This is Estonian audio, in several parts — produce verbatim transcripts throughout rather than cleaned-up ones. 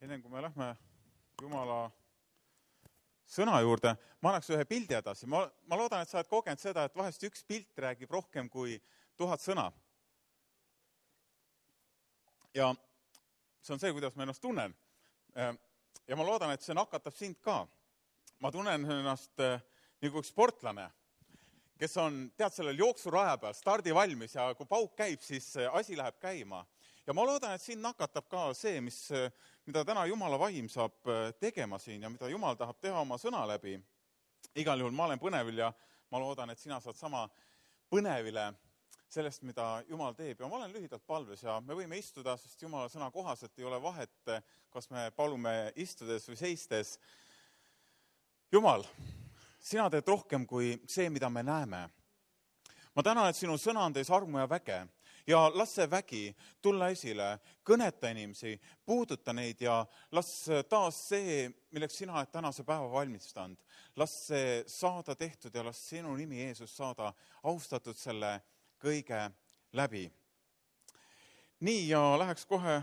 enne kui me lähme Jumala sõna juurde, ma annaks ühe pildi edasi. Ma, ma loodan, et sa oled kogenud seda, et vahest üks pilt räägib rohkem kui tuhat sõna. Ja see on see, kuidas ma ennast tunnen. Ja ma loodan, et see nakatab sind ka. Ma tunnen ennast nagu üks sportlane, kes on, tead, sellel jooksuraja peal, stardi valmis ja kui pauk käib, siis asi läheb käima. Ja ma loodan, et siin nakatab ka see, mis, mida täna Jumala vaim saab tegema siin ja mida Jumal tahab teha oma sõna läbi. Igal juhul ma olen põnevil ja ma loodan, et sina saad sama põnevile sellest, mida Jumal teeb. Ja ma olen lühidalt palves ja me võime istuda, sest Jumala sõna kohaselt ei ole vahet, kas me palume istudes või seistes. Jumal, sina teed rohkem kui see, mida me näeme. Ma tänan, et sinu sõna on teis armu ja väge ja las see vägi tulla esile, kõneta inimesi, puuduta neid ja las taas see, milleks sina oled tänase päeva valmistanud. Las see saada tehtud ja las sinu nimi Jeesus saada austatud selle kõige läbi. Nii ja läheks kohe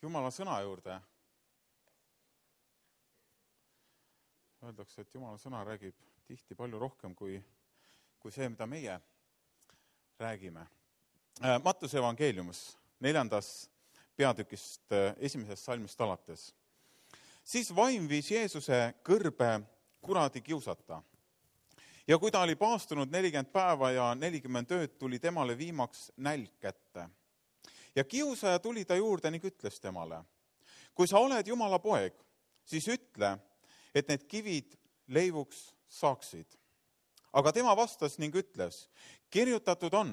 Jumala sõna juurde. Öeldakse, et Jumala sõna räägib tihti palju rohkem kui, kui see, mida meie räägime. Mattuse evangeeliumis, neljandas peatükist esimesest salmist alates. Siis vaim viis Jeesuse kõrbe kuradi kiusata. Ja kui ta oli paastunud nelikümmend päeva ja nelikümmend ööd, tuli temale viimaks nälg kätte. Ja kiusaja tuli ta juurde ning ütles temale, kui sa oled Jumala poeg, siis ütle, et need kivid leivuks saaksid. Aga tema vastas ning ütles, kirjutatud on,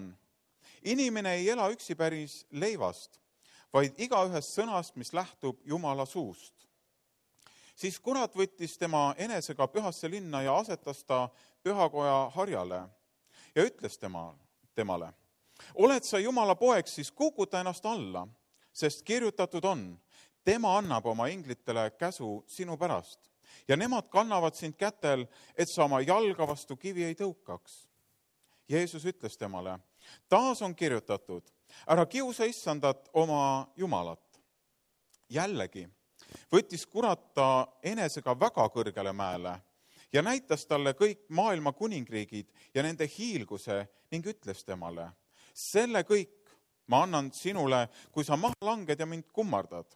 inimene ei ela üksi päris leivast, vaid iga ühest sõnast, mis lähtub Jumala suust. Siis kurat võttis tema enesega pühasse linna ja asetas ta pühakoja harjale ja ütles tema, temale, oled sa Jumala poeg, siis kukuta ennast alla, sest kirjutatud on, tema annab oma inglitele käsu sinu pärast ja nemad kannavad sind kätel, et sa oma jalga vastu kivi ei tõukaks. Jeesus ütles temale, taas on kirjutatud, ära kiusa issandat oma Jumalat. Jällegi võttis kurat ta enesega väga kõrgele mäele ja näitas talle kõik maailma kuningriigid ja nende hiilguse ning ütles temale, selle kõik ma annan sinule, kui sa maha langed ja mind kummardad.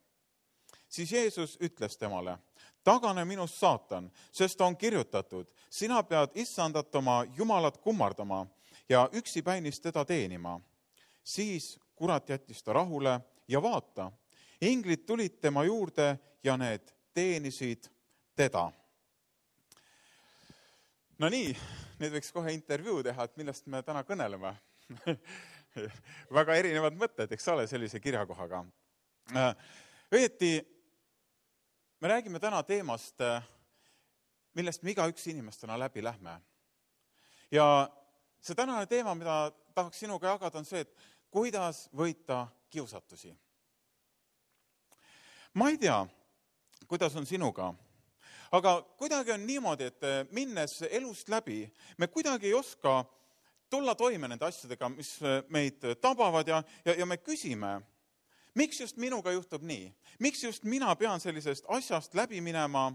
Siis Jeesus ütles temale, tagane minust saatan, sest on kirjutatud, sina pead issandat oma Jumalat kummardama ja üksipäinis teda teenima. Siis kurat jättis ta rahule ja vaata, inglid tulid tema juurde ja need teenisid teda. No nii, nüüd võiks kohe intervjuu teha, et millest me täna kõneleme. Väga erinevad mõtted, eks ole, sellise kirjakohaga. Õieti, me räägime täna teemast, millest me iga üks inimestena läbi lähme. Ja see tänane teema, mida tahaks sinuga jagada, on see, et kuidas võita kiusatusi. Ma ei tea, kuidas on sinuga, aga kuidagi on niimoodi, et minnes elust läbi, me kuidagi ei oska tulla toime nende asjadega, mis meid tabavad ja, ja, ja me küsime, miks just minuga juhtub nii? Miks just mina pean sellisest asjast läbi minema?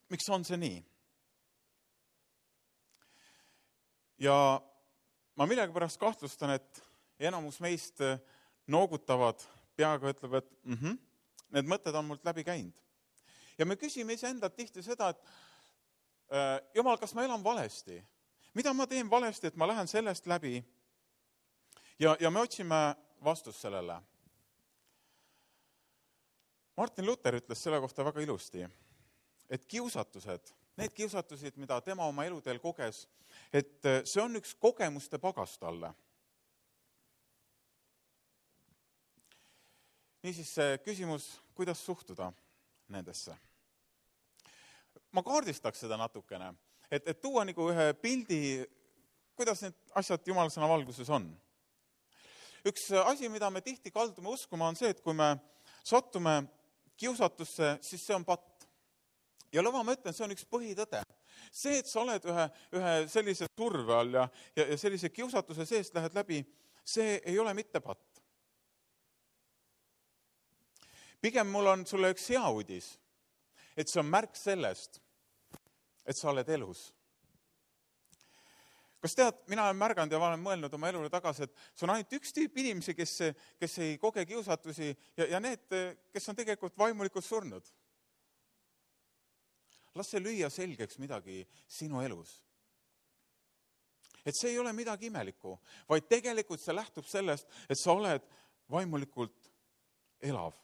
Miks on see nii? Ja ma millegi pärast kahtlustan, et enamus meist noogutavad peaga, ütleb, et mm-hmm, need mõtted on mult läbi käinud. Ja me küsime iseendalt tihti seda, et äh, Jumal, kas ma elan valesti? Mida ma teen valesti, et ma lähen sellest läbi? Ja, ja me otsime vastus sellele. Martin Luther ütles selle kohta väga ilusti, et kiusatused, need kiusatused, mida tema oma eluteel koges, et see on üks kogemuste pagas talle. Niisiis see küsimus, kuidas suhtuda nendesse. Ma kaardistaks seda natukene, et, et tuua nagu ühe pildi, kuidas need asjad Jumala sõna valguses on. Üks asi, mida me tihti kaldume uskuma, on see, et kui me sattume kiusatusse, siis see on patt. Ja lõva ma ütlen, see on üks põhitõde. See, et sa oled ühe, ühe sellise surve all ja, ja, ja sellise kiusatuse seest lähed läbi, see ei ole mitte patt. pigem mul on sulle üks hea uudis, et see on märk sellest, et sa oled elus. Kas tead, mina olen märganud ja olen mõelnud oma elule tagasi, et see on ainult üks tüüp inimesi, kes, kes ei koge kiusatusi ja, ja need, kes on tegelikult vaimulikult surnud. Las see lüüa selgeks midagi sinu elus. Et see ei ole midagi imelikku, vaid tegelikult see lähtub sellest, et sa oled vaimulikult elav.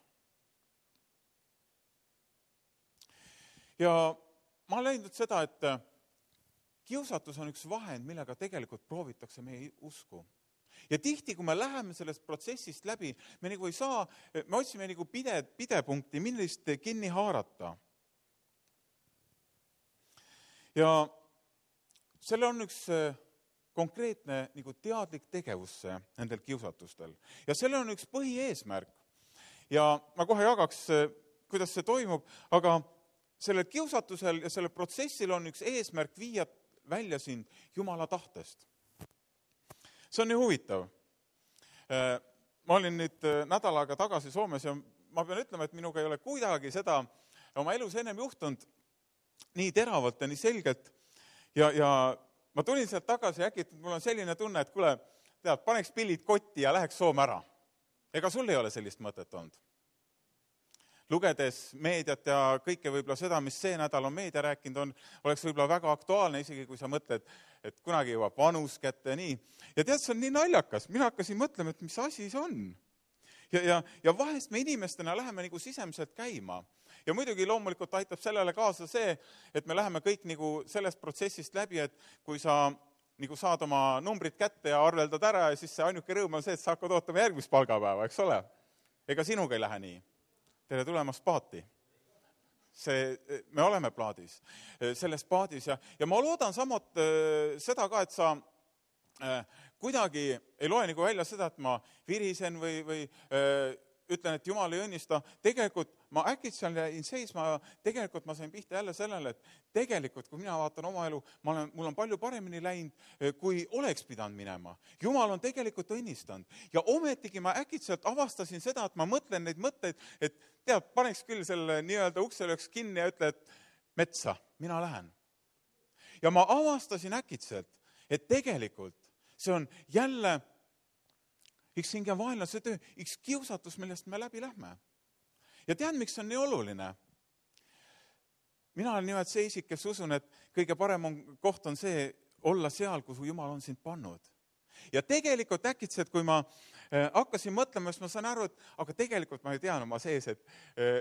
Ja ma olen leidnud seda, et kiusatus on üks vahend, millega tegelikult proovitakse meie usku. Ja tihti, kui me läheme sellest protsessist läbi, me nagu ei saa, me otsime nagu pide, pidepunkti, millist kinni haarata. Ja selle on üks konkreetne nagu teadlik tegevus nendel kiusatustel. Ja selle on üks põhieesmärk. Ja ma kohe jagaks, kuidas see toimub, aga sellel kiusatusel ja sellel protsessil on üks eesmärk viia välja sind Jumala tahtest. See on nii huvitav. Ma olin nüüd nädal aega tagasi Soomes ja ma pean ütlema, et minuga ei ole kuidagi seda oma elus ennem juhtunud nii teravalt ja nii selgelt. Ja, ja ma tulin sealt tagasi ja äkki, et mul on selline tunne, et kuule, tead, paneks pillid kotti ja läheks Soome ära. Ega sul ei ole sellist mõtet olnud? Lugedes meediat ja kõike võib-olla seda, mis see nädal on meedia rääkinud, on, oleks võib-olla väga aktuaalne, isegi kui sa mõtled, et kunagi jõuab vanus kätte ja nii. Ja tead, see on nii naljakas. Mina hakkasin mõtlema, et mis asi see on. Ja, ja, ja vahest me inimestena läheme nagu sisemiselt käima. Ja muidugi loomulikult aitab sellele kaasa see, et me läheme kõik nagu sellest protsessist läbi, et kui sa nagu saad oma numbrid kätte ja arveldad ära ja siis see ainuke rõõm on see, et sa hakkad ootama järgmist palgapäeva, eks ole? Ega sinuga ei lähe nii. Tere tulemast paati. See, me oleme plaadis, selles paadis ja, ja ma loodan samot seda ka, et sa äh, kuidagi ei loe nagu välja seda, et ma virisen või, või äh, ütlen, et Jumal ei õnnista. Tegelikult ma äkitselt jäin seisma, tegelikult ma sain pihta jälle sellele, et tegelikult, kui mina vaatan oma elu, ma olen, mul on palju paremini läinud, kui oleks pidanud minema. Jumal on tegelikult õnnistanud. Ja ometigi ma äkitselt avastasin seda, et ma mõtlen neid mõtteid, et tead, paneks küll selle nii-öelda ukselööks kinni ja ütle, et metsa, mina lähen. Ja ma avastasin äkitselt, et tegelikult see on jälle üks hinge vaenlase töö, üks kiusatus, millest me läbi lähme. Ja tead, miks on nii oluline? Mina olen nimelt see isik, kes usun, et kõige parem on, koht on see olla seal, kus Jumal on sind pannud. Ja tegelikult äkitselt, kui ma äh, hakkasin mõtlema, siis ma saan aru, et aga tegelikult ma ei tean oma sees, et äh,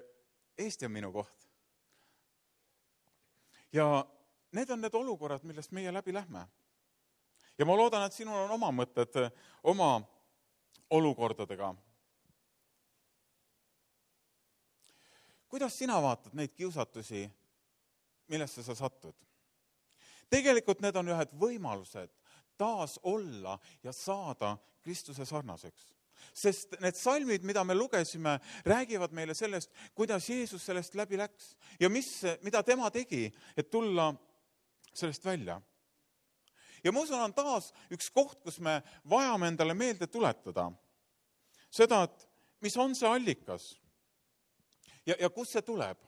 Eesti on minu koht. Ja need on need olukorrad, millest meie läbi lähme. Ja ma loodan, et sinul on oma mõtted, oma olukordadega. Kuidas sina vaatad neid kiusatusi, millesse sa satud? Tegelikult need on ühed võimalused taas olla ja saada Kristuse sarnaseks. Sest need salmid, mida me lugesime, räägivad meile sellest, kuidas Jeesus sellest läbi läks ja mis, mida tema tegi, et tulla sellest välja. Ja ma usun, on taas üks koht, kus me vajame endale meelde tuletada seda, et mis on see allikas ja, ja kus see tuleb.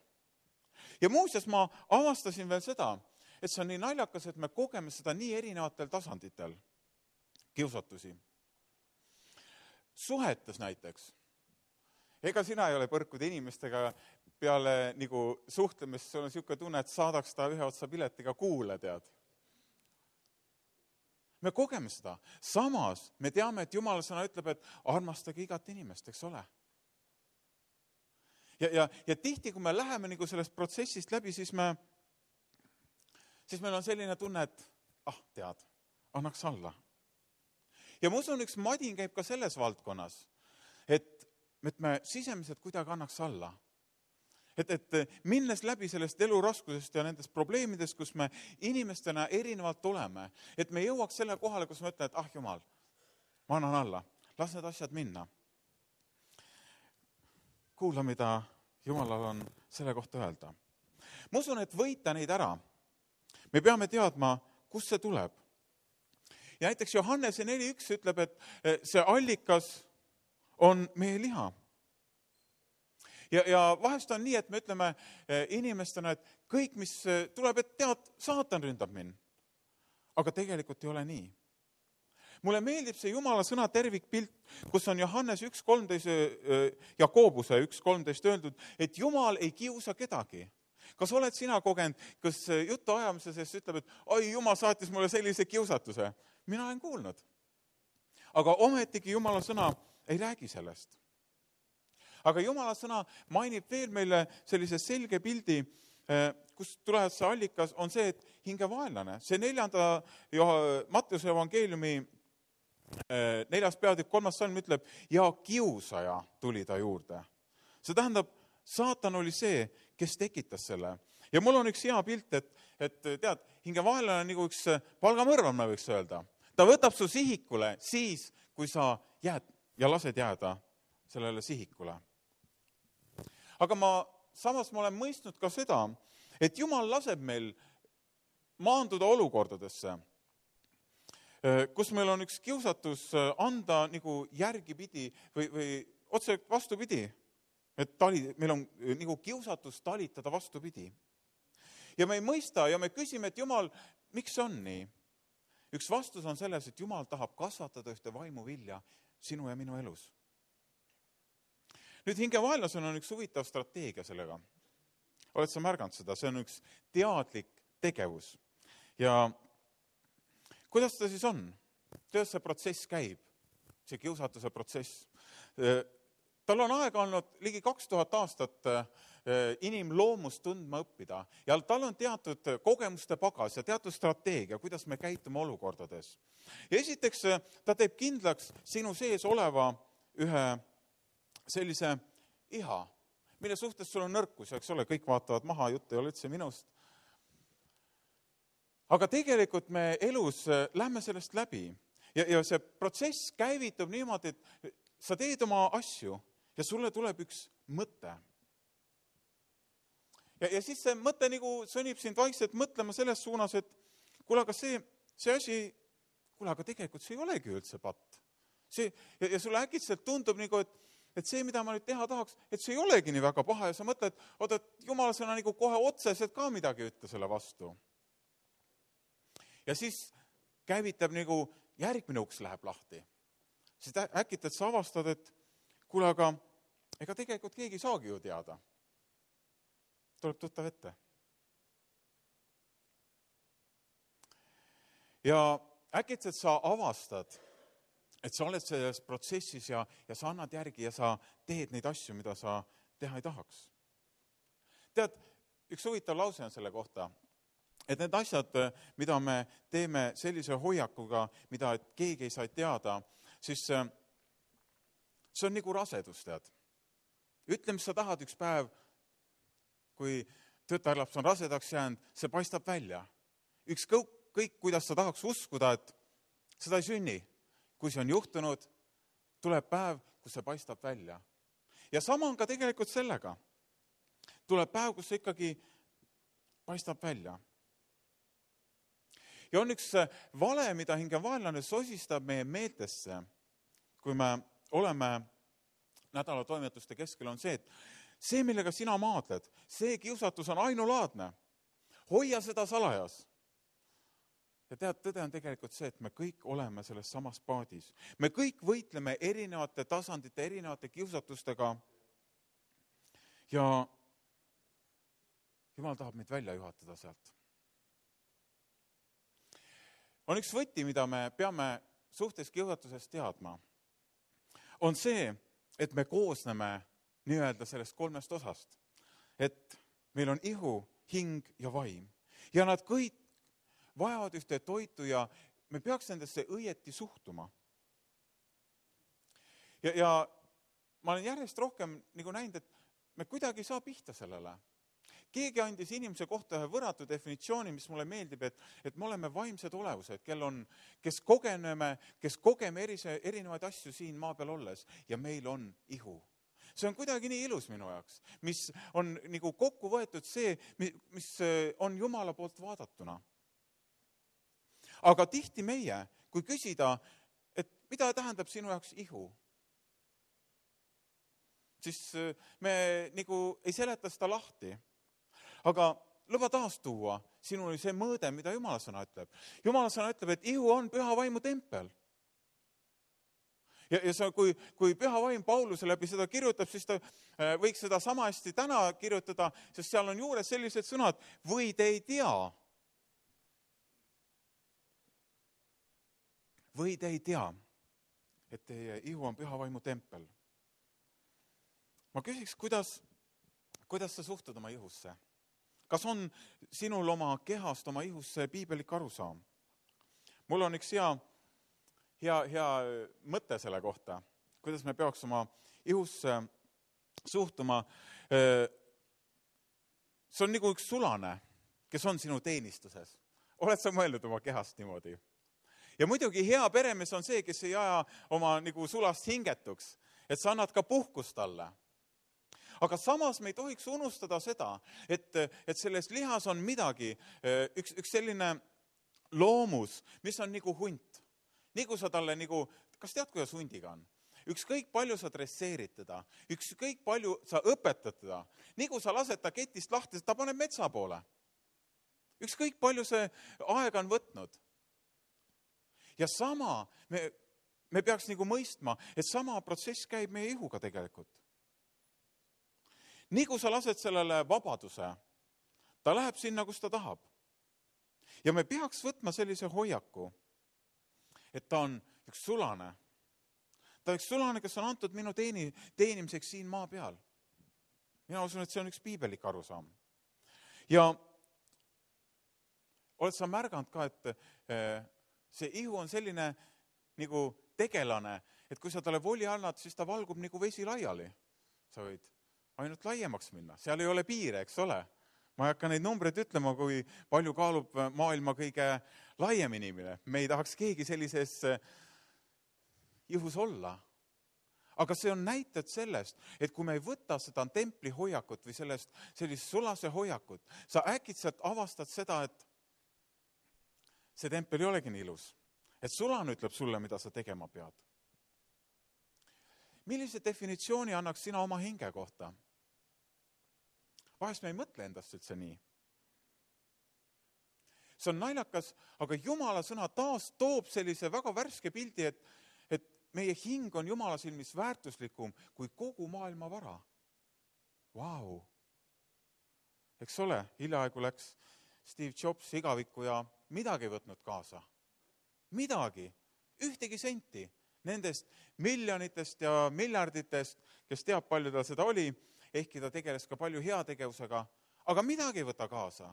Ja muuseas ma avastasin veel seda, et see on nii naljakas, et me kogeme seda nii erinevatel tasanditel kiusatusi. Suhetes näiteks. Ega sina ei ole põrkuda inimestega peale nagu suhtlemist, sul on niisugune tunne, et saadaks ta ühe otsa piletiga kuule, tead. Me kogeme seda. Samas me teame, et Jumala sõna ütleb, et armastage igat inimest, eks ole. Ja, ja, ja tihti, kui me läheme nagu sellest protsessist läbi, siis, me, siis meil on selline tunne, et ah, tead, annaks alla. Ja ma usun, üks madin käib ka selles valdkonnas, et, et me sisemiselt kuidagi annaks alla. Et, et minnes läbi sellest eluraskusest ja nendest probleemidest, kus me inimestena erinevalt oleme, et me jõuaks selle kohale, kus me ütleme, et ah, Jumal, ma annan alla, las need asjad minna. Kuula, mida Jumalal on selle kohta öelda. Ma usun, et võita neid ära. Me peame teadma, kus see tuleb. Ja näiteks Johannese neli üks ütleb, et see allikas on meie liha. ja, ja vahest on nii, et me ütleme inimestena, et kõik, mis tuleb, et tead, saatan ründab mind. Aga tegelikult ei ole nii. Mulle meeldib see Jumala sõna tervikpilt, kus on Johannes üks kolmteist, Jakobuse üks kolmteist öeldud, et Jumal ei kiusa kedagi. Kas oled sina kogenud, kas jutu ajamise sest ütleb, et oi, Jumal saatis mulle sellise kiusatuse? Mina olen kuulnud. Aga ometigi Jumala sõna ei räägi sellest. Aga Jumala sõna mainib veel meile sellise selge pildi, kus tuleb see allikas, on see, et hingevaenlane. See neljanda Matteuse evangeeliumi neljas peatükk kolmas salm ütleb, ja kiusaja tuli ta juurde. See tähendab, saatan oli see, kes tekitas selle. Ja mul on üks hea pilt, et, et tead, hingevaenlane on nagu üks palgamõrvam, ma võiks öelda. Ta võtab su sihikule siis, kui sa jääd ja lased jääda sellele sihikule. Aga ma, samas ma olen mõistnud ka seda, et Jumal laseb meil maanduda olukordadesse, kus meil on üks kiusatus anda nagu järgipidi või, või otse vastupidi, et tali, meil on nagu kiusatus talitada vastupidi. Ja me ei mõista ja me küsime, et Jumal, miks on nii? Üks vastus on selles, et Jumal tahab kasvatada ühte vaimu vilja sinu ja minu elus. Nüüd hingevaenlasel on üks huvitav strateegia sellega. Oled sa märganud seda? See on üks teadlik tegevus. Ja kuidas ta siis on? Kuidas see protsess käib? See kiusatuse protsess. Tal on aega olnud ligi kaks tuhat aastat inimloomust tundma õppida ja tal on teatud kogemuste pagas ja teatud strateegia, kuidas me käitume olukordades. Ja esiteks ta teeb kindlaks sinu sees oleva ühe sellise iha, mille suhtes sul on nõrkus, eks ole, kõik vaatavad maha, jutt ei ole üldse minust. Aga tegelikult me elus lähme sellest läbi ja, ja see protsess käivitub niimoodi, et sa teed oma asju ja sulle tuleb üks mõte. Ja, ja siis see mõte nagu sõnib sind vaikselt mõtlema selles suunas, et kuule, aga see, see asi, kuule, aga tegelikult see ei olegi üldse patt. See, ja, ja sulle äkitselt tundub nagu, et, et see, mida ma nüüd teha tahaks, et see ei olegi nii väga paha ja sa mõtled, oot, et Jumala sõna nagu kohe otseselt ka midagi ütle selle vastu. Ja siis käivitab nagu järgmine uks läheb lahti. Siis äkitad sa avastad, et kuule, aga ega tegelikult keegi ei saagi ju teada. Tuleb tuttav ette. Ja äkitselt sa avastad, et sa oled selles protsessis ja, ja sa annad järgi ja sa teed neid asju, mida sa teha ei tahaks. Tead, üks huvitav lause on selle kohta, et need asjad, mida me teeme sellise hoiakuga, mida keegi ei saa teada, siis see on nagu rasedus, tead. Ütle, mis sa tahad üks päev, kui tütarlaps on rasedaks jäänud, see paistab välja. Üks kõik, kuidas sa tahaks uskuda, et seda ei sünni. Kui see on juhtunud, tuleb päev, kus see paistab välja. Ja sama on ka tegelikult sellega. Tuleb päev, kus see ikkagi paistab välja. Ja on üks vale, mida hingevaenlane sosistab meie meeltesse, kui me oleme nädala toimetuste keskel, on see, et see, millega sina maadled, see kiusatus on ainulaadne. Hoia seda salajas. Ja tead, tõde on tegelikult see, et me kõik oleme selles samas paadis. Me kõik võitleme erinevate tasandite, erinevate kiusatustega ja Jumal tahab meid välja juhatada sealt. On üks võti, mida me peame suhtes kiusatusest teadma, on see, et me koosneme nii-öelda sellest kolmest osast. Et meil on ihu, hing ja vaim. Ja nad kõik vajavad ühte toitu ja me peaks nendesse õieti suhtuma. Ja, ja ma olen järjest rohkem nagu näinud, et me kuidagi saa pihta sellele. Keegi andis inimese kohta ühe võrratu definitsiooni, mis mulle meeldib, et, et me oleme vaimsed olevused, kel on, kes kogeneme, kes kogeme erise, erinevaid asju siin maa peal olles ja meil on ihu. See on kuidagi nii ilus minu jaoks, mis on nagu kokku võetud see, mis on Jumala poolt vaadatuna. Aga tihti meie, kui küsida, et mida tähendab sinu jaoks ihu? siis me nagu ei seleta seda lahti. Aga luba taas tuua sinuni see mõõde, mida Jumala sõna ütleb. Jumala sõna ütleb, et ihu on püha vaimu tempel. Ja, ja see, kui, kui püha vaim Pauluse läbi seda kirjutab, siis ta võiks seda sama hästi täna kirjutada, sest seal on juures sellised sõnad, või te ei tea. Või te ei tea, et teie ihu on püha vaimu tempel. Ma küsiks, kuidas, kuidas sa suhtud oma ihusse? Kas on sinul oma kehast, oma ihusse piibelik arusaam? Mul on üks hea, hea, hea mõte selle kohta, kuidas me peaks oma ihusse suhtuma. See on nagu üks sulane, kes on sinu teenistuses. Oled sa mõelnud oma kehast niimoodi? Ja muidugi hea peremees on see, kes ei aja oma nagu sulast hingetuks, et sa annad ka puhkust talle. Aga samas me ei tohiks unustada seda, et, et selles lihas on midagi, üks, üks selline loomus, mis on nagu hunt. Nagu sa talle nagu, kas tead, kuidas hundiga on? Ükskõik palju sa dresseerid teda, ükskõik palju sa õpetad teda, nagu sa lased ta ketist lahti, ta paneb metsa poole. Ükskõik palju see aega on võtnud. Ja sama, me, me peaks nagu mõistma, et sama protsess käib meie ihuga tegelikult. Nagu sa lased sellele vabaduse, ta läheb sinna, kus ta tahab. Ja me peaks võtma sellise hoiaku, et ta on üks sulane. Ta on üks sulane, kes on antud minu teeni, teenimiseks siin maa peal. Mina usun, et see on üks piibelik arusaam. Ja oled sa märganud ka, et see ihu on selline nagu tegelane, et kui sa talle voli annad, siis ta valgub nagu vesi laiali. Sa võid ainult laiemaks minna. Seal ei ole piire, eks ole. Ma ei hakka neid numbreid ütlema, kui palju kaalub maailma kõige laiem inimene. Me ei tahaks keegi sellises ihus olla. Aga see on näited sellest, et kui me ei võta seda templi hoiakut või sellest sellist sulase hoiakut, sa äkitselt avastad seda, et see tempel ei olegi nii ilus. Et sulane ütleb sulle, mida sa tegema pead. Millise definitsiooni annaks sina oma hinge kohta? Vahest me ei mõtle endast üldse nii. See on naljakas, aga Jumala sõna taas toob sellise väga värske pildi, et, et meie hing on Jumala silmis väärtuslikum kui kogu maailma vara. Vau! Eks ole, hiljaaegu läks Steve Jobs igavikku ja midagi võtnud kaasa. Midagi, ühtegi senti nendest miljonitest ja miljarditest, kes teab, palju ta seda oli, ehkki ta tegeles ka palju heategevusega, aga midagi ei võta kaasa.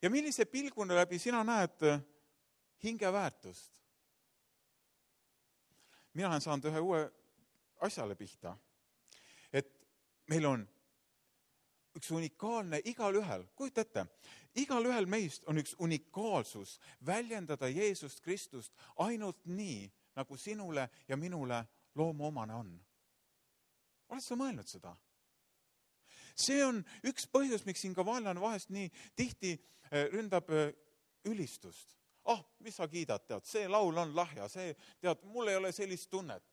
Ja millise pilguna läbi sina näed hinge väärtust? Mina olen saanud ühe uue asjale pihta, et meil on üks unikaalne igal ühel, kujuta ette, igal ühel meist on üks unikaalsus väljendada Jeesust Kristust ainult nii, nagu sinule ja minule loomuomane on. Oled sa mõelnud seda? See on üks põhjus, miks siin ka vaenlane vahest nii tihti ründab ülistust. Ah, mis sa kiidad, tead, see laul on lahja, see, tead, mul ei ole sellist tunnet.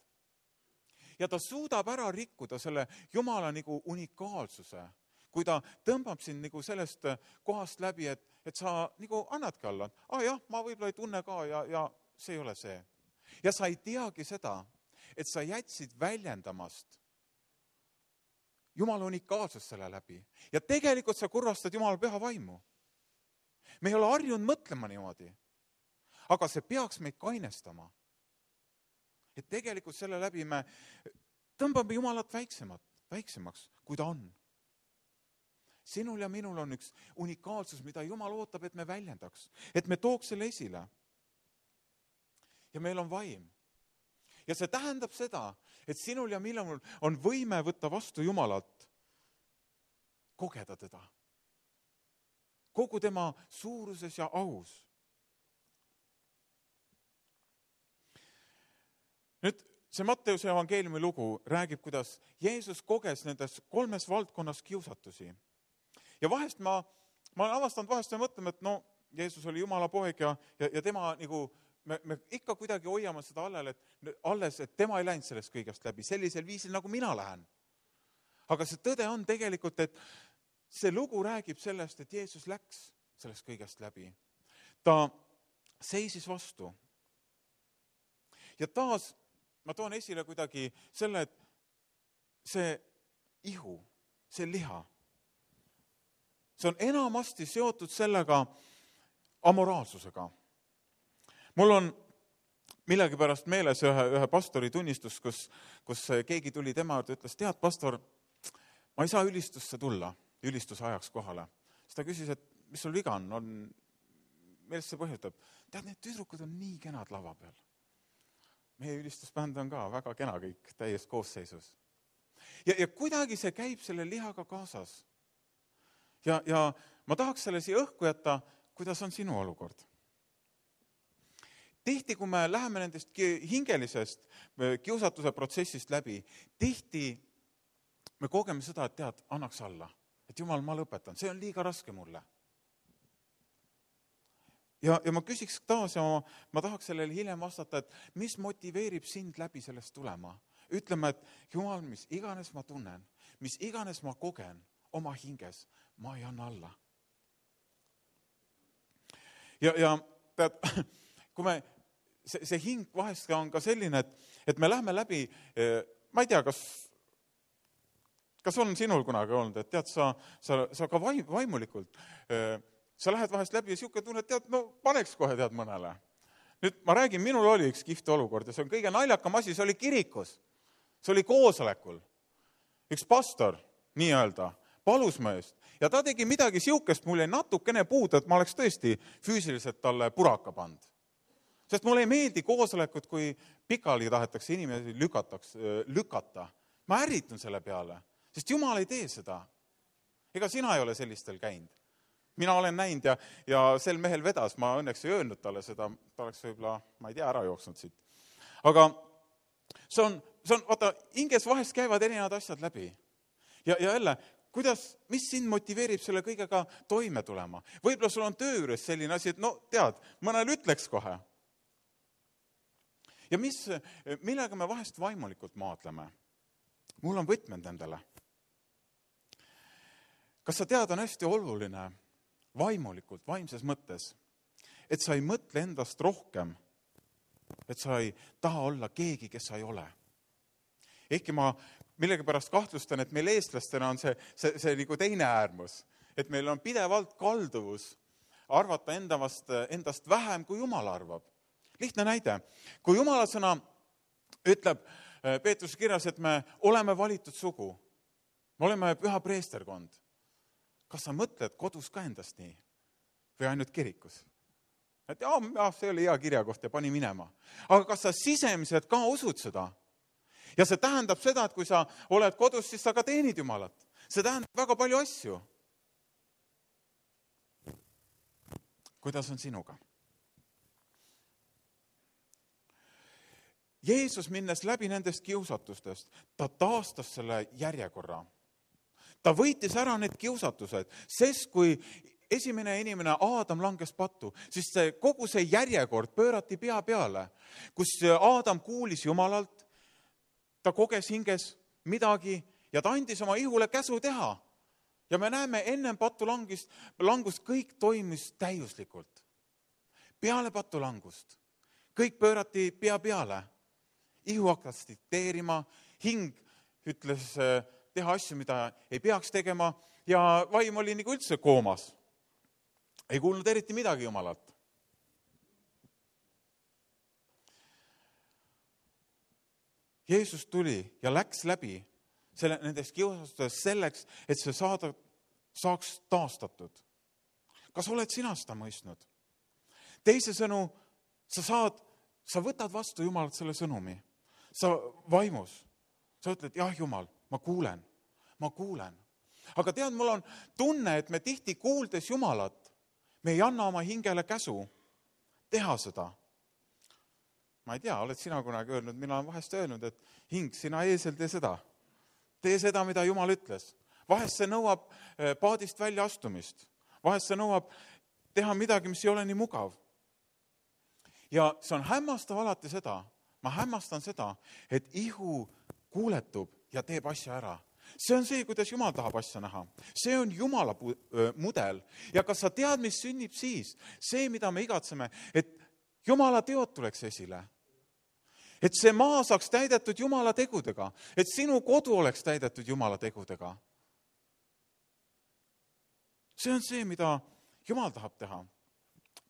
Ja ta suudab ära rikkuda selle Jumala nagu unikaalsuse, kui ta tõmbab sind nagu sellest kohast läbi, et, et sa nagu annadki alla. Ah jah, ma võib-olla ei tunne ka ja, ja see ei ole see. Ja sa ei teagi seda, et sa jätsid väljendamast Jumala unikaalsust selle läbi. Ja tegelikult sa kurvastad Jumala püha vaimu. Me ei ole harjunud mõtlema niimoodi, aga see peaks meid kainestama. Et tegelikult selle läbi me tõmbame Jumalat väiksemat, väiksemaks, kui ta on. Sinul ja minul on üks unikaalsus, mida Jumal ootab, et me väljendaks, et me tooks selle esile. Ja meil on vaim. Ja see tähendab seda, et sinul ja minul on võime võtta vastu Jumalat, kogeda teda. Kogu tema suuruses ja aus. Nüüd see Matteuse evangeeliumi lugu räägib, kuidas Jeesus koges nendes kolmes valdkonnas kiusatusi. Ja vahest ma, ma olen avastanud vahest ja mõtlema, et no, Jeesus oli Jumala poeg ja, ja, ja tema nagu me, me ikka kuidagi hoiame seda allel, et alles, et tema ei läinud sellest kõigest läbi, sellisel viisil, nagu mina lähen. Aga see tõde on tegelikult, et see lugu räägib sellest, et Jeesus läks sellest kõigest läbi. Ta seisis vastu. Ja taas ma toon esile kuidagi selle, et see ihu, see liha, see on enamasti seotud sellega amoraalsusega. Mul on millegipärast meeles ühe, ühe pastori tunnistus, kus, kus keegi tuli tema juurde ja ütles, tead, pastor, ma ei saa ülistusse tulla, ülistuse ajaks kohale. Siis ta küsis, et mis sul viga on, on millest see põhjutab? Tead, need tüdrukud on nii kenad lava peal. Meie ülistusbänd on ka väga kena kõik, täies koosseisus. Ja, ja kuidagi see käib selle lihaga kaasas. Ja, ja ma tahaks selle siia õhku jätta, kuidas on sinu olukord. Tihti, kui me läheme nendest hingelisest kiusatuse protsessist läbi, tihti me kogeme seda, et tead, annaks alla. Et Jumal, ma lõpetan, see on liiga raske mulle. Ja, ja ma küsiks taas ja ma, ma tahaks sellele hiljem vastata, et mis motiveerib sind läbi sellest tulema. Ütleme, et Jumal, mis iganes ma tunnen, mis iganes ma kogen oma hinges, ma ei anna alla. Ja, ja tead, kui me, see, see hing vahest on ka selline, et, et me lähme läbi, ma ei tea, kas, kas on sinul kunagi olnud, et tead, sa, sa, sa ka vaim, vaimulikult, sa lähed vahest läbi ja siuke tunne, et tead, no paneks kohe tead mõnele. Nüüd ma räägin, minul oli üks kihvt olukord ja see on kõige naljakam asi, see oli kirikus. See oli koosolekul. Üks pastor, nii öelda, palus mu eest. Ja ta tegi midagi siukest, mul ei natukene puudu, et ma oleks tõesti füüsiliselt talle puraka pand. Sest mulle ei meeldi koosolekud, kui pikali tahetakse inimesi lükataks, lükata. Ma ärritun selle peale, sest Jumal ei tee seda. Ega sina ei ole sellistel käinud. Mina olen näinud ja, ja sel mehel vedas, ma õnneks ei öelnud talle seda, ta oleks võib-olla, ma ei tea, ära jooksnud siit. Aga see on, see on, vaata, hinges vahest käivad erinevad asjad läbi. Ja, ja jälle, kuidas, mis sind motiveerib selle kõigega toime tulema? Võib-olla sul on töö juures selline asi, et no tead, mõnel ütleks kohe. Ja mis, millega me vahest vaimulikult maadleme? Mul on võtmed nendele. Kas sa tead, on hästi oluline vaimulikult, vaimses mõttes, et sa ei mõtle endast rohkem, et sa ei taha olla keegi, kes sa ei ole. Ehkki ma millegipärast kahtlustan, et meil eestlastena on see, see, see nagu teine äärmus, et meil on pidevalt kalduvus arvata endast, endast vähem, kui Jumal arvab. Lihtne näide, kui Jumala sõna ütleb Peetruse kirjas, et me oleme valitud sugu, me oleme püha preesterkond, kas sa mõtled kodus ka endast nii? Või ainult kirikus? Et jah, see oli hea kirjakoht ja pani minema. Aga kas sa sisemiselt ka usud seda? Ja see tähendab seda, et kui sa oled kodus, siis sa ka teenid Jumalat. See tähendab väga palju asju. Kuidas on sinuga? Jeesus minnes läbi nendest kiusatustest, ta taastas selle järjekorra. Ta võitis ära need kiusatused, sest kui esimene inimene Aadam langes pattu, siis see, kogu see järjekord pöörati pea peale, kus Aadam kuulis Jumalalt, ta koges hinges midagi ja ta andis oma ihule käsu teha. Ja me näeme ennem pattu langust, langust kõik toimis täiuslikult. Peale pattu langust. Kõik pöörati pea peale. Ihu hakkas dikteerima, hing ütles teha asju, mida ei peaks tegema ja vaim oli nagu üldse koomas. Ei kuulnud eriti midagi Jumalalt. Jeesus tuli ja läks läbi selle, nendest kiusatustest selleks, et see saada, saaks taastatud. Kas oled sina seda mõistnud? Teise sõnu, sa saad, sa võtad vastu Jumalalt selle sõnumi. Sa vaimus. Sa ütled, jah Jumal, ma kuulen, ma kuulen. Aga tead, mul on tunne, et me tihti kuuldes Jumalat, me ei anna oma hingele käsu teha seda. Ma ei tea, oled sina kunagi öelnud, mina olen vahest öelnud, et hing, sina eesel tee seda. Tee seda, mida Jumal ütles. Vahest see nõuab paadist välja astumist. Vahest see nõuab teha midagi, mis ei ole nii mugav. ja see on hämmastav alati seda, ma hämmastan seda, et ihu kuuletub ja teeb asja ära. See on see, kuidas Jumal tahab asja näha. See on Jumala pu- öö, mudel. Ja kas sa tead, mis sünnib siis? See, mida me igatseme, et Jumala teod tuleks esile. Et see maa saaks täidetud Jumala tegudega. Et sinu kodu oleks täidetud Jumala tegudega. See on see, mida Jumal tahab teha.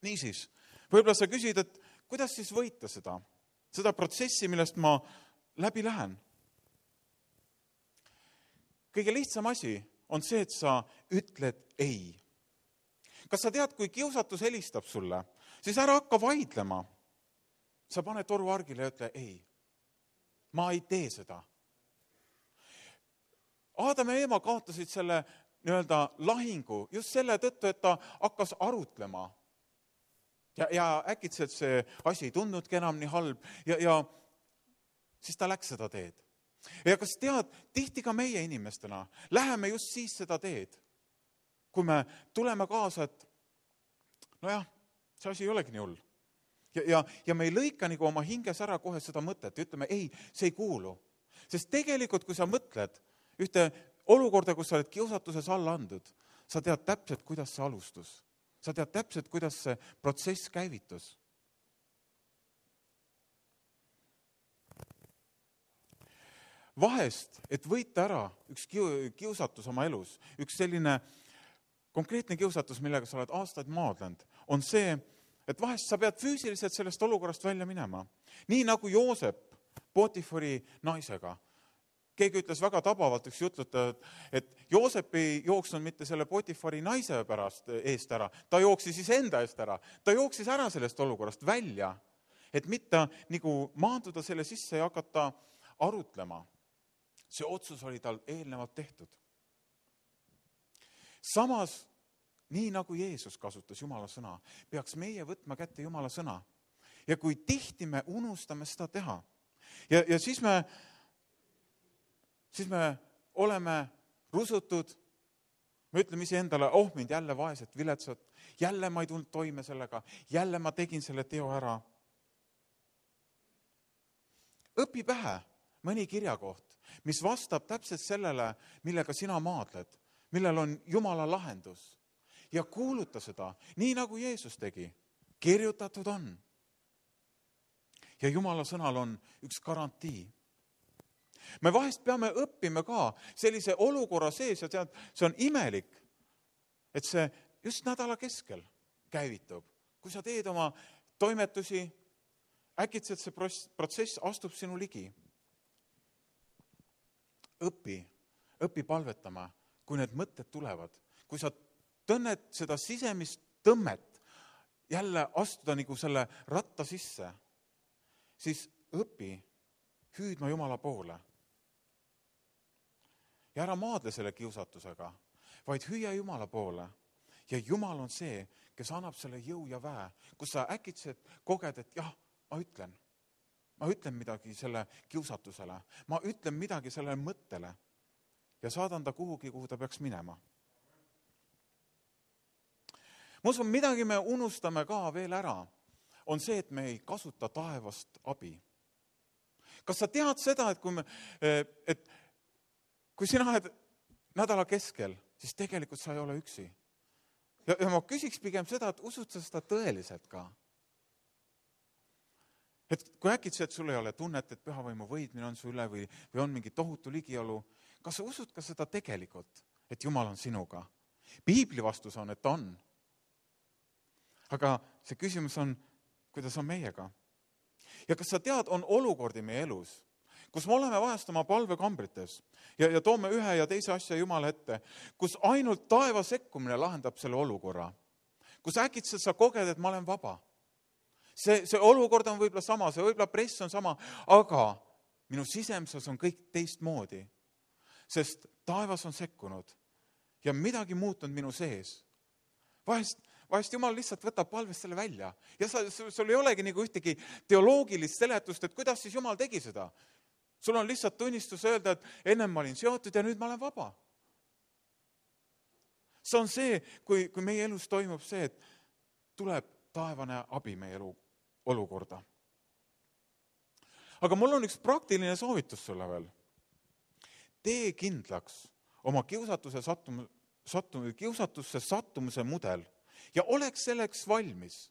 Niisiis, võib-olla sa küsid, et kuidas siis võita seda? Seda protsessi, millest ma läbi lähen. Kõige lihtsam asi on see, et sa ütled ei. Kas sa tead, kui kiusatus helistab sulle, siis ära hakka vaidlema. Sa pane toru argile ja ütle ei. Ma ei tee seda. Aadam ja Eeva kaotasid selle nii-öelda lahingu just selle tõttu, et ta hakkas arutlema. Ja, ja äkitselt see asi ei tundnudki enam nii halb ja, ja siis ta läks seda teed. Ja kas tead, tihti ka meie inimestena läheme just siis seda teed, kui me tuleme kaasa, et nojah, see asi ei olegi nii hull. Ja, ja, ja me ei lõika nagu oma hinges ära kohe seda mõtet ja ütleme, ei, see ei kuulu. Sest tegelikult, kui sa mõtled ühte olukorda, kus sa oled kiusatuses alla andud, sa tead täpselt, kuidas see alustus. Sa tead täpselt, kuidas see protsess käivitus. Vahest, et võita ära üks kiusatus oma elus, üks selline konkreetne kiusatus, millega sa oled aastaid maadlenud, on see, et vahest sa pead füüsiliselt sellest olukorrast välja minema. Nii nagu Joosep Potifari naisega. Keegi ütles väga tabavalt üks jutluta, et Joosep ei jooksnud mitte selle Potifari naise pärast eest ära, ta jooksis siis enda eest ära. Ta jooksis ära sellest olukorrast välja, et mitte nagu maanduda selle sisse ja hakata arutlema. See otsus oli tal eelnevalt tehtud. Samas, nii nagu Jeesus kasutas Jumala sõna, peaks meie võtma kätte Jumala sõna. Ja kui tihti me unustame seda teha, ja, ja siis me siis me oleme rusutud, me ütleme ise endale, oh mind jälle vaeset, viletsat, jälle ma ei tulnud toime sellega, jälle ma tegin selle teo ära. Õpi pähe mõni kirjakoht, mis vastab täpselt sellele, millega sina maadled, millel on Jumala lahendus. Ja kuuluta seda, nii nagu Jeesus tegi, kirjutatud on. Ja Jumala sõnal on üks garantii. Me vahest peame õppima ka sellise olukorra sees ja tead, see on imelik, et see just nädala keskel käivitub. Kui sa teed oma toimetusi, äkitselt see protsess astub sinu ligi. Õpi, õpi palvetama, kui need mõtted tulevad. Kui sa tunned seda sisemist tõmmet jälle astuda nagu selle ratta sisse, siis õpi hüüdma Jumala poole. Ja ära maadle selle kiusatusega, vaid hüüa Jumala poole. Ja Jumal on see, kes annab selle jõu ja väe, kus sa äkitselt koged, et jah, ma ütlen. Ma ütlen midagi selle kiusatusele. Ma ütlen midagi sellele mõttele ja saadan ta kuhugi, kuhu ta peaks minema. Ma usun, midagi me unustame ka veel ära, on see, et me ei kasuta taevast abi. Kas sa tead seda, et kui, me, et kui sina oled nädala keskel, siis tegelikult sa ei ole üksi. Ja, ja ma küsiks pigem seda, et usud sa seda tõeliselt ka? Et kui äkitselt sul ei ole tunnet, et pühavõimu võidmine on su üle või, või on mingi tohutu ligiolu, kas sa usud ka seda tegelikult, et Jumal on sinuga? Piibli vastus on, et ta on. Aga see küsimus on, kuidas on meiega? Ja kas sa tead, on olukordi meie elus, kus me oleme vahest oma palvekambrites ja, ja toome ühe ja teise asja Jumala ette, kus ainult taeva sekkumine lahendab selle olukorra, kus äkitselt sa koged, et ma olen vaba. See, see olukord on võib-olla sama, see võib-olla press on sama, aga minu sisemsus on kõik teistmoodi, sest taevas on sekkunud ja midagi muutunud minu sees. Vahest, vahest Jumal lihtsalt võtab palvest selle välja ja sa, sul ei olegi nagu ühtegi teoloogilist seletust, et kuidas siis Jumal tegi seda. Sul on lihtsalt tunnistus öelda, et ennem ma olin seotud ja nüüd ma olen vaba. See on see, kui, kui meie elus toimub see, et tuleb taevane abi meie elu olukorda. aga mul on üks praktiline soovitus sulle veel. Tee kindlaks oma kiusatuse sattum, sattum, kiusatusse sattumuse mudel ja oleks selleks valmis.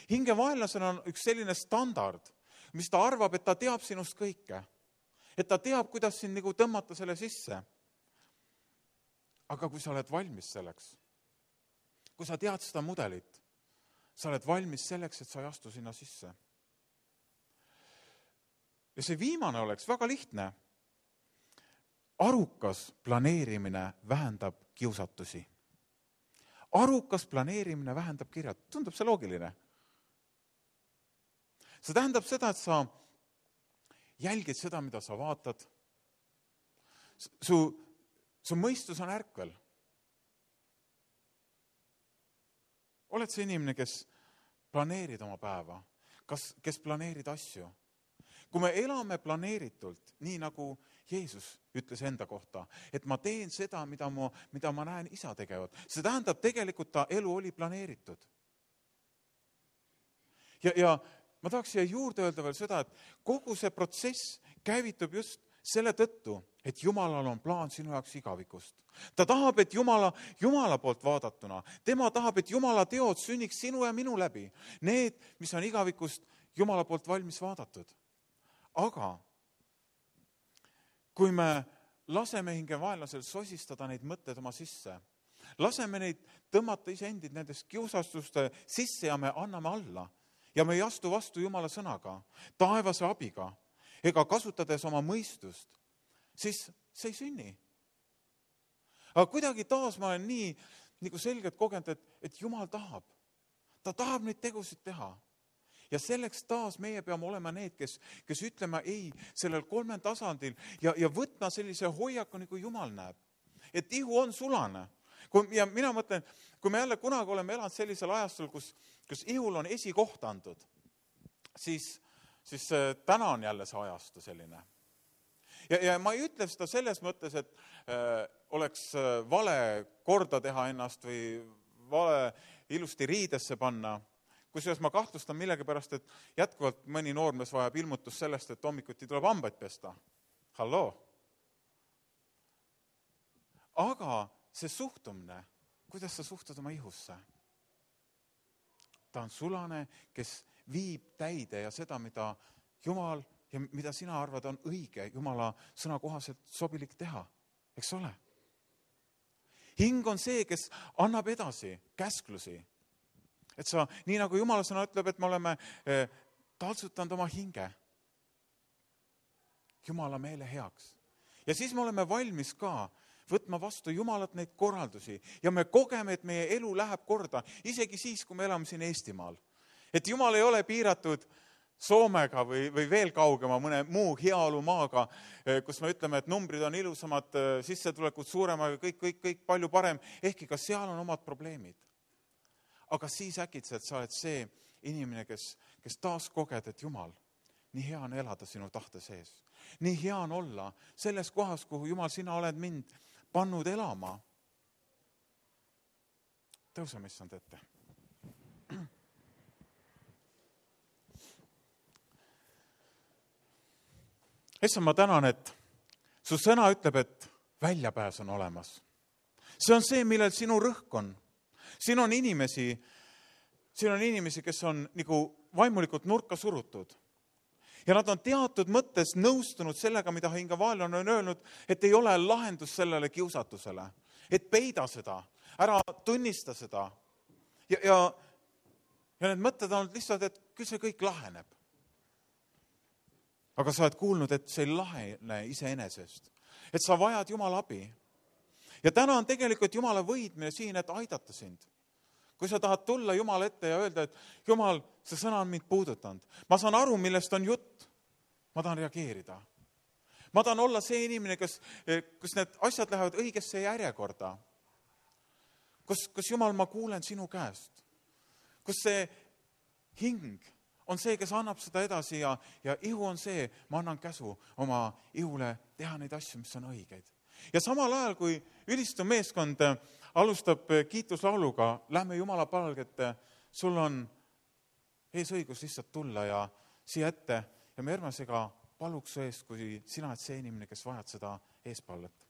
Hingevaenlasel on üks selline standard, mis ta arvab, et ta teab sinust kõike. Et ta teab, kuidas sind nagu tõmmata selle sisse. Aga kui sa oled valmis selleks, kui sa tead seda mudelit, sa oled valmis selleks, et sa ei astu sinna sisse. Ja see viimane oleks väga lihtne. Arukas planeerimine vähendab kiusatusi. Arukas planeerimine vähendab kirjad. Tundub see loogiline? See tähendab seda, et sa jälgid seda, mida sa vaatad. Su, su mõistus on ärkvel. Oled see inimene, kes planeerid oma päeva? Kas, kes planeerid asju? Kui me elame planeeritult, nii nagu Jeesus ütles enda kohta, et ma teen seda, mida ma, mida ma näen isa tegevad. See tähendab, tegelikult ta elu oli planeeritud. Ja, ja ma tahaks siia juurde öelda veel seda, et kogu see protsess käivitub just selle tõttu, et Jumalal on plaan sinu jaoks igavikust. Ta tahab, et Jumala, Jumala poolt vaadatuna, tema tahab, et Jumala teod sünniks sinu ja minu läbi. Need, mis on igavikust Jumala poolt valmis vaadatud. Aga kui me laseme hingevaenlasel sosistada neid mõtted oma sisse, laseme neid tõmmata iseendid nendest kiusastuste sisse ja me anname alla ja me ei astu vastu Jumala sõnaga, taevase abiga ega kasutades oma mõistust, siis see ei sünni. Aga kuidagi taas ma olen nii nagu selgelt kogenud, et, et Jumal tahab. Ta tahab neid tegusid teha. Ja selleks taas meie peame olema need, kes, kes ütleme ei sellel kolmel tasandil ja, ja võtma sellise hoiaku, nagu Jumal näeb. Et ihu on sulane. Kui, ja mina mõtlen, kui me jälle kunagi oleme elanud sellisel ajastul, kus, kus ihul on esikoht antud, siis, siis täna on jälle see ajastu selline. Ja, ja ma ei ütle seda selles mõttes, et äh, oleks vale korda teha ennast või vale ilusti riidesse panna. Kusjuures ma kahtlustan millegi pärast, et jätkuvalt mõni noormees vajab ilmutus sellest, et hommikuti tuleb hambaid pesta. Halloo! Aga see suhtumine, kuidas sa suhtud oma ihusse? Ta on sulane, kes viib täide ja seda, mida Jumal ja mida sina arvad on õige, Jumala sõna kohaselt sobilik teha. Eks ole? Hing on see, kes annab edasi käsklusi. Et sa, nii nagu Jumala sõna ütleb, et me oleme eh, taltsutanud oma hinge Jumala meele heaks. Ja siis me oleme valmis ka võtma vastu Jumalat neid korraldusi ja me kogeme, et meie elu läheb korda, isegi siis, kui me elame siin Eestimaal. Et Jumal ei ole piiratud Soomega või, või veel kaugema mõne muu heaolumaaga, kus me ütleme, et numbrid on ilusamad, sissetulekud suuremaga, kõik, kõik, kõik palju parem, ehkki ka seal on omad probleemid. Aga siis äkitselt sa oled see inimene, kes, kes taas koged, et Jumal, nii hea on elada sinu tahte sees. Nii hea on olla selles kohas, kuhu Jumal, sina oled mind pannud elama. Tõuseme issand ette. Issand, ma tänan, et su sõna ütleb, et väljapääs on olemas. See on see, millel sinu rõhk on. Siin on inimesi, siin on inimesi, kes on nagu vaimulikult nurka surutud. Ja nad on teatud mõttes nõustunud sellega, mida hingevaenlane on öelnud, et ei ole lahendus sellele kiusatusele. Et peida seda, ära tunnista seda. Ja, ja, ja need mõtted on lihtsalt, et küll see kõik laheneb. Aga sa oled kuulnud, et see ei lahene iseenesest. Et sa vajad Jumala abi. Ja täna on tegelikult Jumala võidmine siin, et aidata sind. Kui sa tahad tulla Jumala ette ja öelda, et Jumal, see sõna on mind puudutanud. Ma saan aru, millest on jutt. Ma tahan reageerida. Ma tahan olla see inimene, kes, kus need asjad lähevad õigesse järjekorda. Kus, kus Jumal, ma kuulen sinu käest. Kus see hing on see, kes annab seda edasi ja, ja ihu on see, ma annan käsu oma ihule teha neid asju, mis on õigeid. Ja samal ajal, kui ülistu meeskond alustab kiituslauluga, lähme Jumala palgete, sul on eesõigus lihtsalt tulla ja siia ette ja me Ermasega paluks su eest, kui sina oled see inimene, kes vajad seda eespalvet.